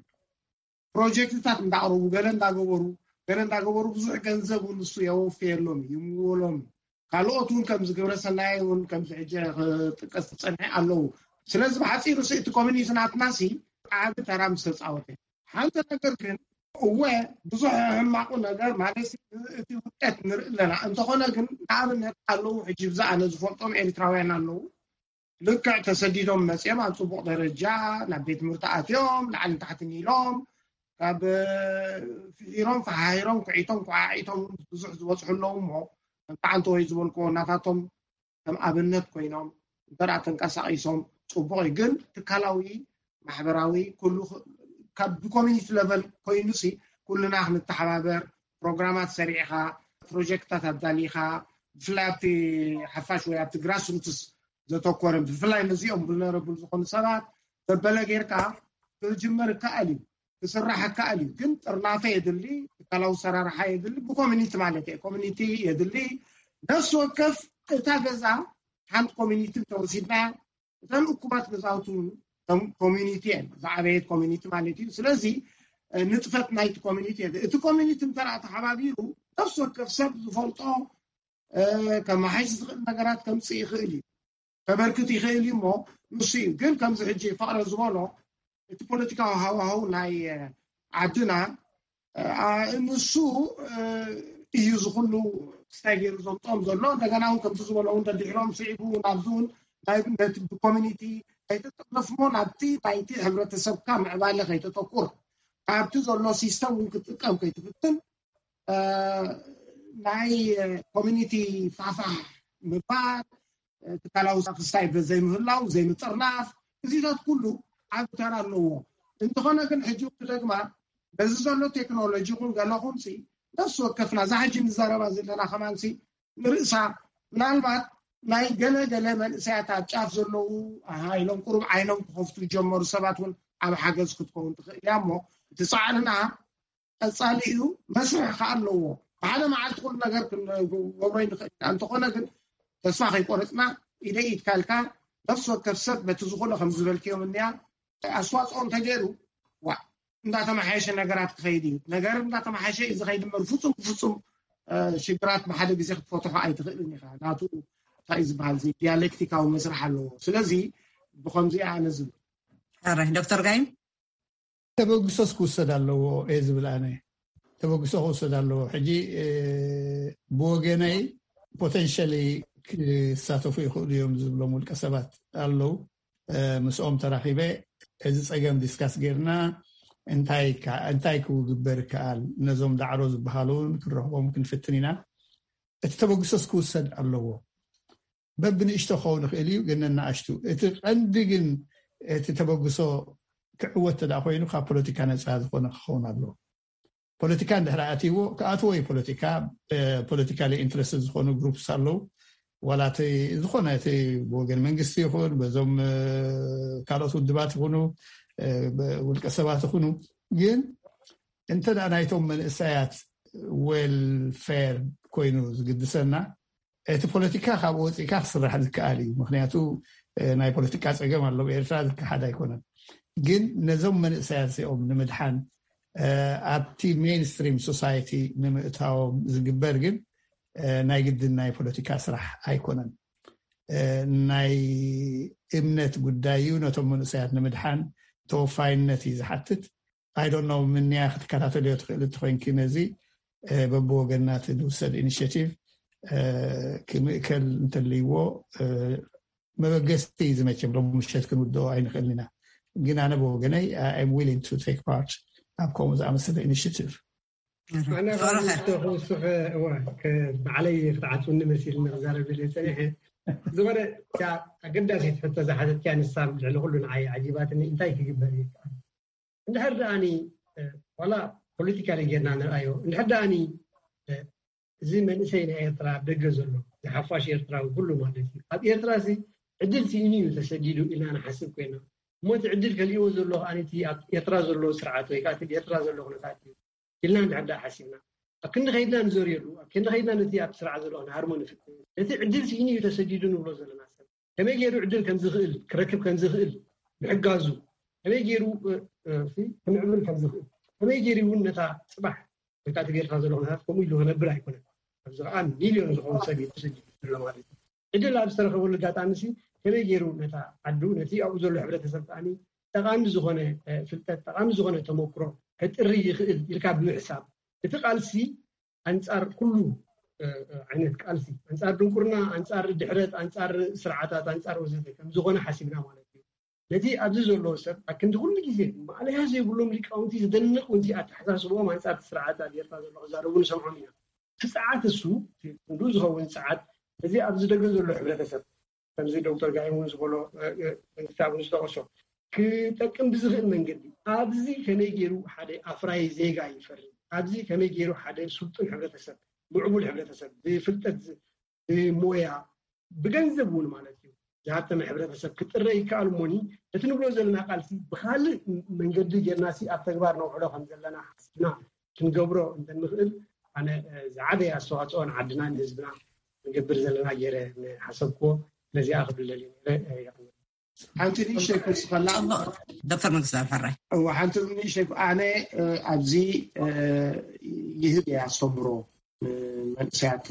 ፕሮጀክትታት እንዳቅረቡ ገለ እንዳገበሩ ገለ እንዳገበሩ ብዙሕ ገንዘብ እውን ንሱ የወፍየሎም ይምወሎም ካልኦት እውን ከምዚ ግብረ ሰናይ እውን ከምዚ ሕጂ ክጥቀስ ዝፀንሐ ኣለዉ ስለዚ ብሓፂሩ ሲ እቲ ኮሚኒቲ ናትና ሲ ዓቢ ተራ ምስ ተጻወተ። ሓንቲ ነገር ግን፣ እወ፣ ብዙሕ ሕማቑ ነገር ማለት እቲ ውጤት ንርኢ ኣለና። እንተኾነ ግን፣ ንኣብነት ኣለዉ፣ ሕጂ ብዛ ኣነ ዝፈልጦም ኤርትራውያን ኣለዉ፣ ልክዕ ተሰዲዶም መጺኦም ኣብ ጽቡቕ ደረጃ ናብ ቤት ትምህርቲ ኣትዮም፣ ላዕልን ታሕትን ኢሎም፣ ካብ ፍሒሮም ፈሓሂሮም ኩዒቶም ኩዓዒቶም ብዙሕ ዝበጽሑ ኣለዉ። እሞ ከምቲ ዓንተወይ ዝበልክዎ፣ ናታቶም ከም ኣብነት ኮይኖም እንተ ተንቀሳቒሶም ጽቡቕ እዩ። ግን ትካላዊ፣ ማሕበራዊ፣ ኩሉ ካብ ብኮሚኒቲ ለቨል ኮይኑሲ፣ ኩልና ክንተሓባበር፣ ፕሮግራማት ሰሪዕኻ፣ ፕሮጀክታት ኣዳሊኻ፣ ብፍላይ ኣብቲ ሓፋሽ ወይ ኣብቲ ግራስ ሩትስ ዘተኮረ፣ ብፍላይ ነዚኦም ቡልነረብል ዝኾኑ ሰባት ዘበለ ጌርካ ክጅመር ይከኣል እዩ፣ ክስራሕ ይከኣል እዩ። ግን ጥርናፈ የድሊ፣ ትካላዊ ሰራርሓ የድሊ፣ ብኮሚኒቲ ማለት እየ፣ ኮሚኒቲ የድሊ። ነፍሲ ወከፍ እታ ገዛ ሓንቲ ኮሚኒቲ እንተወሲድና፣ እተን እኩባት ገዛውቲ እውን ከም ኮሚኒቲ እየን፣ ዝዓበየት ኮሚኒቲ ማለት እዩ። ስለዚ ንጥፈት ናይቲ ኮሚኒቲ የድሊ። እቲ ኮሚኒቲ እንተ ተሓባቢሩ፣ ነፍሲ ወከፍ ሰብ ዝፈልጦ ከመሓይሽ ዝኽእል ነገራት ከምፅእ ይኽእል እዩ፣ ከበርክት ይኽእል እዩ። እሞ ንሱ እዩ ግን ከምዚ ሕጂ ፍቕረ ዝበሎ እቲ ፖለቲካዊ ሃዋህው ናይ ዓድና፣ ንሱ እዩ ዝኩሉ ክስታይ ገይሩ ዘምፅኦም ዘሎ። እንደገና እውን ከምዚ ዝበሎ እውን ደድሕሮም ስዒቡ ናብዚ እውን ነቲ ብኮሚኒቲ ኣይተጠለፍሞ ናብቲ ናይቲ ሕብረተሰብካ ምዕባለ ከይተተኩር፣ ካብቲ ዘሎ ሲስተም እውን ክትጥቀም ከይትፍትን፣ ናይ ኮሚኒቲ ፋፋ ምባል፣ ትካላዊ ክስታይ ዘይምህላው፣ ዘይምጥርናፍ፣ እዚታት ኩሉ ዓቢ ተራ ኣለዎ። እንተኾነ ግን ሕጂ ክደግማ በዚ ዘሎ ቴክኖሎጂ ይኹን ገለኹም ሲ ነፍሲ ወከፍና እዛ ሕጂ ንዘረባ ዘለና ከማን ሲ ንርእሳ ምናልባት ናይ ገለ ገለ መንእሰያት ኣብ ጫፍ ዘለዉ ኣሃ ኢሎም ቁሩብ ዓይኖም ክኸፍቱ ዝጀመሩ ሰባት እውን ኣብ ሓገዝ ክትከውን ትኽእል እያ። እሞ እቲ ጻዕርና ቀጻሊ እዩ፣ መስርሕ ከኣ ኣለዎ። ብሓደ መዓልቲ ኩሉ ነገር ክንገብሮ ይንኽእል ኢና። እንተኾነ ግን ተስፋ ከይቆረጽና ኢደይ ኢድካ ኢልካ ነፍሲ ወከፍ ሰብ በቲ ዝኾነ ከም ዝበልክዮም እንያ ኣስተዋፅኦ እንተገይሩ ዋ እንዳተመሓየሸ ነገራት ክኸይድ እዩ። ነገር እንዳተመሓየሸ እዩ ዝኸይድ እምበር ፍጹም ብፍጹም ሽግራት ብሓደ ግዜ ክትፈትሖ ኣይትኽእልን ኢኻ። ናቱ እንታይ እዩ ዝበሃል እዚ ዲያሌክቲካዊ መስርሕ ኣለዎ። ስለዚ ብኸምዚ ኣነ ዝብል ሕራይ ዶክተር ጋይም ተበግሶስ ክውሰድ ኣለዎ እየ ዝብል ኣነ። ተበግሶ ክውሰድ ኣለዎ። ሕጂ ብወገነይ ፖቴንሻሊ ክሳተፉ ይኽእሉ እዮም ዝብሎም ውልቀ ሰባት ኣለዉ። ምስኦም ተራኺበ እዚ ፀገም ዲስካስ ጌርና እንታይ ክግበር ይከኣል፣ ነዞም ዳዕሮ ዝበሃሉ እውን ክንረኽቦም ክንፍትን ኢና። እቲ ተበግሶስ ክውሰድ ኣለዎ። በብንእሽቶ ክኸውን ይኽእል እዩ፣ ግን ነናእሽቱ። እቲ ቀንዲ ግን እቲ ተበግሶ ክዕወት ተደኣ ኮይኑ ካብ ፖለቲካ ነፃ ዝኾነ ክኸውን ኣለዎ። ፖለቲካ እንድሕር ኣትይዎ ክኣትዎ እዩ። ፖለቲካ ፖለቲካሊ ኢንትረስት ዝኾኑ ግሩፕስ ኣለዉ። ዋላ እቲ ዝኾነ እቲ ብወገን መንግስቲ ይኹን በዞም ካልኦት ውድባት ይኹኑ ውልቀ ሰባት ይኹኑ፣ ግን እንተ ደኣ ናይቶም መንእሰያት ዌልፌር ኮይኑ ዝግድሰና እቲ ፖለቲካ ካብኡ ወፂእካ ክስራሕ ዝከኣል እዩ። ምክንያቱ ናይ ፖለቲካ ፀገም ኣሎ ኤርትራ ዝከሓድ ኣይኮነን። ግን ነዞም መንእሰያት እዚኦም ንምድሓን ኣብቲ ሜንስትሪም ሶሳይቲ ንምእታዎም ዝግበር ግን ናይ ግድን ናይ ፖለቲካ ስራሕ ኣይኮነን። ናይ እምነት ጉዳይ እዩ። ነቶም መንእሰያት ንምድሓን ተወፋይነት እዩ ዝሓትት። I don't know ምንያ ክትከታተልዮ ትኽእል እንተኮይንኪ ነዚ በብወገንና እቲ ዝውሰድ ኢኒሽቲቭ ክምእከል እንተልይዎ መበገስቲ እዩ ዝመቸም። ሎም ምሸት ክንውድኦ ኣይንኽእልን ኢና። ግን ኣነ ብወገነይ I am willing to take part ኣብ ከምኡ ዝኣመሰለ ኢኒሽቲቭ። ኣነ ካብ ክውስኽ እዋ ባዕለይ ክትዓፅውኒ መሲልኒ ክዛረብ ኢለ ፀኒሐ። ዝኾነ ኣገዳሲት ሕቶ ዝሓተትኪያ ንሳ ልዕሊ ኩሉ ንዓይ ዓጂባትኒ። እንታይ ክግበር ይከኣል? እንድሕር ደኣኒ ዋላ ፖለቲካሊ ጌርና ንርኣዮ፣ እንድሕር ደኣኒ እዚ መንእሰይ ናይ ኤርትራ ኣብ ደገ ዘሎ ዝሓፋሽ ኤርትራዊ ኩሉ ማለት እዩ ኣብ ኤርትራ ሲ ዕድል ስኢኑ እዩ ተሰዲዱ ኢልና ንሓስብ ኮይና። እሞ እቲ ዕድል ከሊእዎ ዘሎ ከኣ እቲ ኣብ ኤርትራ ዘሎ ስርዓት ወይ ከዓ እቲ ኤርትራ ዘሎ ኩነታት እዩ ኢልና እንድሕር ደኣ ሓሲብና፣ ኣብ ክንዲ ከይድና ንዘርየሉ፣ ኣብ ክንዲ ከይድና ነቲ ኣብ ስርዓት ዘሎ ክንሃርሞ ንፍትን። ነቲ ዕድል ስኢኑ እዩ ተሰዲዱ ንብሎ ዘለና ሰብ ከመይ ገይሩ ዕድል ከም ዝኽእል ክረክብ ከም ዝኽእል ምሕጋዙ፣ ከመይ ገይሩ ክምዕብል ከም ዝኽእል፣ ከመይ ገይሩ እውን ነታ ፅባሕ ወይ ከዓ እቲ ጌርካ ዘሎ ኩነታት ከምኡ ኢሉ ክነብር ኣይኮነን። ኣብዚ ከዓ ሚልዮን ዝኸውን ሰብ እዩ ተሰዲዱ ዘሎ ማለት እዩ። ዕድል ኣብ ዝተረኸበሉ ኣጋጣሚ ሲ ከመይ ገይሩ ነታ ዓዱ ነቲ ኣብኡ ዘሎ ሕብረተሰብ ከዓኒ ጠቓሚ ዝኾነ ፍልጠት፣ ጠቓሚ ዝኾነ ተመክሮ ከጥሪ ይኽእል ኢልካ ብምሕሳብ፣ እቲ ቃልሲ ኣንጻር ኩሉ ዓይነት ቃልሲ፣ ኣንጻር ድንቁርና፣ ኣንጻር ድሕረት፣ ኣንጻር ስርዓታት፣ ኣንጻር ወዘተ ከም ዝኾነ ሓሲብና ማለት እዩ። ነቲ ኣብዚ ዘለዎ ሰብ ኣክንዲ ኩሉ ግዜ ማእለያ ዘይብሎም ሊቃውንቲ፣ ዝደንቕ ውንቲ ኣተሓሳስብኦም ኣንጻር ስርዓት ኣብ ኤርትራ ዘሎ ክዛረቡ ንሰምዖም ኢና። እቲ ጸዓት እሱ ክንዱ ዝኸውን ጸዓት፣ እዚ ኣብዚ ደገ ዘሎ ሕብረተሰብ፣ ከምዚ ዶክተር ጋይም እውን ዝበሎ፣ ክታብ ዝጠቐሶ፣ ክጠቅም ብዝኽእል መንገዲ፣ ኣብዚ ከመይ ገይሩ ሓደ ኣፍራይ ዜጋ ይፈሪ፣ ኣብዚ ከመይ ገይሩ ሓደ ስልጡን ሕብረተሰብ፣ ምዕቡል ሕብረተሰብ፣ ብፍልጠት፣ ብሞያ፣ ብገንዘብ እውን ማለት እዩ፣ ዝሃብተመ ሕብረተሰብ ክጥረ ይከኣል እሞኒ፣ እቲ ንብሎ ዘለና ቃልሲ ብኻልእ መንገዲ ጌርናሲ ኣብ ተግባር ነውዕሎ ከም ዘለና ሓስብና ክንገብሮ እንተንኽእል፣ ኣነ ዝዓበየ ኣስተዋፅኦ ንዓድና ንህዝብና ንገብር ዘለና ገይረ ሓሰብክዎ። ነዚኣ ክብል ደልየ ነይረ። ሓንቲ ንእሽተይ ክወስኸላ። ዶክተር መንግስቱ ኣፈራይ። እወ፣ ሓንቲ ንእሽተይ፣ ኣነ ኣብዚ ይህብ እየ ኣስተምሮ፣ መንእሰያት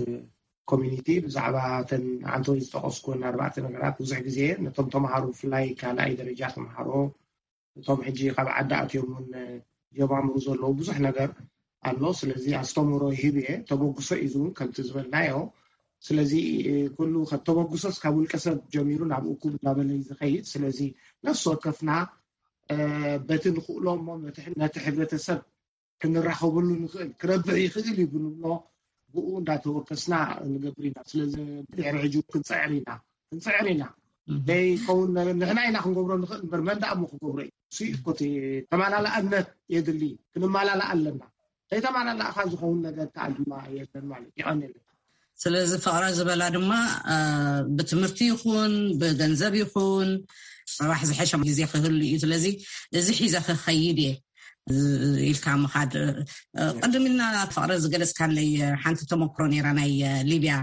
ኮሚኒቲ ብዛዕባ ተን ዓንተወይ ዝጠቐስኩን ኣርባዕተ ነገራት ብዙሕ ግዜ ነቶም ተምሃሮ፣ ብፍላይ ካልኣይ ደረጃ ተምሃሮ፣ እቶም ሕጂ ካብ ዓዲ ኣትዮም እውን ጀማምሩ ዘለዉ ብዙሕ ነገር ኣሎ። ስለዚ ኣስተምህሮ ይህብ እየ፣ ተበግሶ እዩ ዝውን ከምቲ ዝበልናዮ። ስለዚ ኩሉ ተበግሶስ ካብ ውልቀ ሰብ ጀሚሩ ናብ እኩብ እንዳበለ እዩ ዝኸይድ። ስለዚ ነፍሲ ወከፍና በቲ ንኽእሎ እሞ ነቲ ሕብረተሰብ ክንራኸበሉ ንኽእል፣ ክረብሕ ይኽእል እዩ ብንብሎ ብኡ እንዳተወከስና ንገብር ኢና። ስለዚ ድሕሪ ሕጂ ክንፅዕር ኢና፣ ክንፅዕር ኢና። ዘይከውን ነገር ንሕና ኢና ክንገብሮ ንኽእል እምበር መን ደኣ እሞ ክገብሮ እዩ? እሱ እዩ እኮ እቲ ተመላላእነት የድሊ፣ ክንመላላእ ኣለና። ዘይተመላላእካ ዝኸውን ነገር ከዓ ድማ የለን ማለት እዩ። የቐንየለካ። ስለዚ ፍቕረ ዝበላ ድማ ብትምህርቲ ይኹን ብገንዘብ ይኹን ፅባሕ ዝሐሸ ግዜ ክህሉ እዩ። ስለዚ እዚ ሒዘ ክኸይድ እየ ኢልካ ምኻድ። ቅድም ኢልና ፍቕረ ዝገለፅካለይ ሓንቲ ተመክሮ ነይራ፣ ናይ ሊብያ፣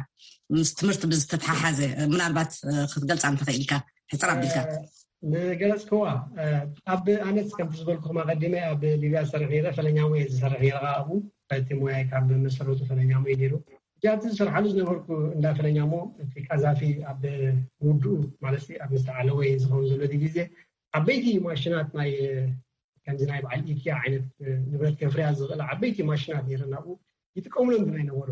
ምስ ትምህርቲ ብዝተተሓሓዘ ምናልባት ክትገልፃ እንተኽኢልካ ሕፅር ኣቢልካ። ንገለፅክዋ፣ ኣብ ኣነስ ከምቲ ዝበልኩኹም ኣቐዲመ ኣብ ሊብያ ዝሰርሕ ነይረ፣ ፈለኛ ሙየ ዝሰርሕ ነይረ። ኣብኡ እቲ ሙያይ ካብ መሰረቱ ፈለኛ ሙየ ነይሩ። እቲ ኣብቲ ዝሰርሓሉ ዝነበርኩ እንዳ ፈለኛ ሞ እቲ ቃዛፊ ኣብ ውድኡ ማለት ኣብ ምስተዓለወ ዝኸውን ዘሎ ግዜ ዓበይቲ ማሽናት ናይ ከምዚ ናይ በዓል ኢኪያ ዓይነት ንብረት ከፍርያ ዝኽእል ዓበይቲ ማሽናት ነይረን ኣብኡ ይጥቀሙለን ብናይ ነበሩ።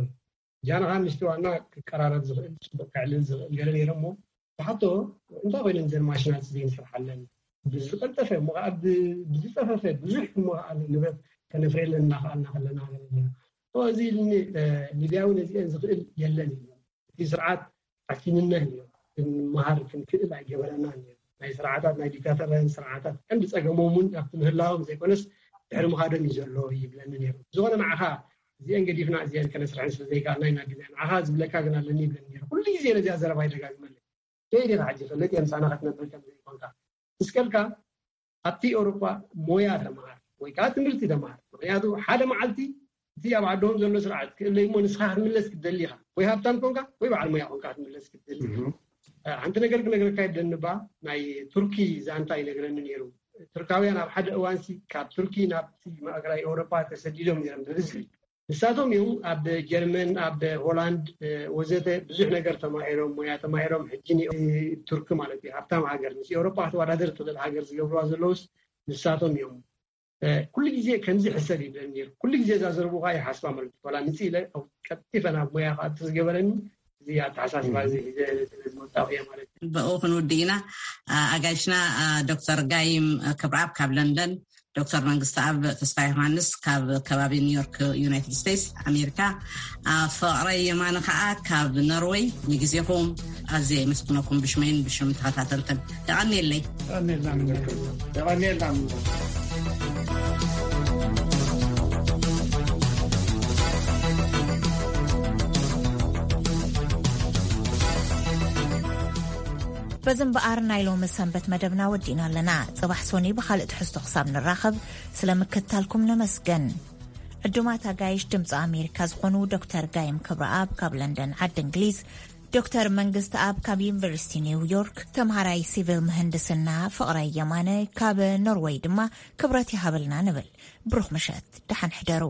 ጃንኻ ምስቲ ዋና ክቀራረብ ዝኽእል፣ ጽቡቕ ከዕልል ዝኽእል ገለ ነይረ እሞ፣ ብሓቶ እንታይ ኮይነን እዘን ማሽናት እዚን ስርሓለን ብዝቐልጠፈ እሞ ከዓ ብዝጸፈፈ ብዙሕ እሞ ከዓ ንብረት ከነፍርየለን እናኸኣልና ከለና ገለ ነይረ። እዚ ኢልኒ ሊብያዊ ነዚአን ዝኽእል የለን እዩ። እቲ ስርዓት ዓፊንና እዩ። ክንመሃር ክንክእል ኣይገበረናን እዩ። ናይ ስርዓታት ናይ ዲክታተርያን ስርዓታት ቀንዲ ጸገሞም እውን ኣብቲ ምህላዎም ዘይኮነስ ድሕሪ ምኻዶም እዩ ዘሎ ይብለኒ ነይሩ። ዝኾነ ንዓኻ እዚአን ገዲፍና እዚአን ከነስርሐን ስለ ዘይከኣልና ኢና ዲና ንዓኻ ዝብለካ ግን ኣለኒ ይብለኒ ነይሩ። ኩሉ ግዜ ነዚኣ ዘረባ ይደጋግመለይ። ደይ ዲኻ ሕጂ ፈለጥ እየ ምሳና ክትነብር ከም ዘይኮንካ እስከልካ ኣብቲ ኤውሮጳ ሞያ ተምሃር ወይ ከዓ ትምህርቲ ተምሃር። ምክንያቱ ሓደ መዓልቲ እቲ ኣብ ዓዶም ዘሎ ስርዓት ክእለይ እሞ ንስኻ ክትምለስ ክትደሊ ኢኻ። ወይ ሃብታም ኮንካ ወይ በዓል ሞያ ኮንካ ክትምለስ ክትደሊ ኢኻ። ሓንቲ ነገር ክነግረካ ይብለኒ ባ ናይ ቱርኪ ዛንታ ይነግረኒ ነይሩ። ቱርካውያን ኣብ ሓደ እዋንሲ ካብ ቱርኪ ናብቲ ማእከላይ ኤውሮጳ ተሰዲዶም ነይሮም ብብዝሒ። ንሳቶም እዮም ኣብ ጀርመን፣ ኣብ ሆላንድ ወዘተ ብዙሕ ነገር ተማሂሮም፣ ሞያ ተማሂሮም። ሕጂ ቱርኪ ማለት እዩ ሃብታም ሃገር፣ ምስ ኤውሮጳ ክትወዳደር ትኽእል ሃገር ዝገብርዋ ዘለውስ ንሳቶም እዮም። ኩሉ ግዜ ከምዚ ሕሰብ ይብለኒ ነይሩ። ኩሉ ግዜ እዛ ዘረብኡ ከዓ ይሓስባ ማለት እዩ። ዋላ ምጽእ ኢለ ቀልጢፈ ናብ ሞያ ክኣቱ ዝገበረኒ እዚ ኣተሓሳስባ እዚ ሒዘ ስለ ዝመጣኹ እየ ማለት እዩ። ብኡ ክንውድእ ኢና። ኣጋይሽና ዶክተር ጋይም ክብረኣብ ካብ ለንደን፣ ዶክተር መንግስቲ ኣብ ተስፋ ዮሃንስ ካብ ከባቢ ኒውዮርክ ዩናይትድ ስቴትስ ኣሜሪካ፣ ፍቕረይ የማነ ከዓ ካብ ኖርወይ። ንግዜኹም ኣዝየ የመስግነኩም ብሽመይን ብሽም ተኸታተልትን። የቐንየለይ። የቐንየልና። በዚ እምበኣር ናይ ሎሚ ሰንበት መደብና ወዲእና ኣለና። ጽባሕ ሶኒ ብኻልእ ትሕዝቶ ክሳብ ንራኸብ ስለ ምክትታልኩም ነመስገን። ዕዱማት ኣጋይሽ ድምፂ ኣሜሪካ ዝኾኑ ዶክተር ጋይም ክብረኣብ ካብ ለንደን ዓዲ እንግሊዝ፣ ዶክተር መንግስቲ ኣብ ካብ ዩኒቨርሲቲ ኒውዮርክ፣ ተምሃራይ ሲቪል ምህንድስና ፍቕራይ የማነ ካብ ኖርወይ ድማ ክብረት ይሃበልና ንብል። ብሩኽ ምሸት፣ ደሓን ሕደሩ።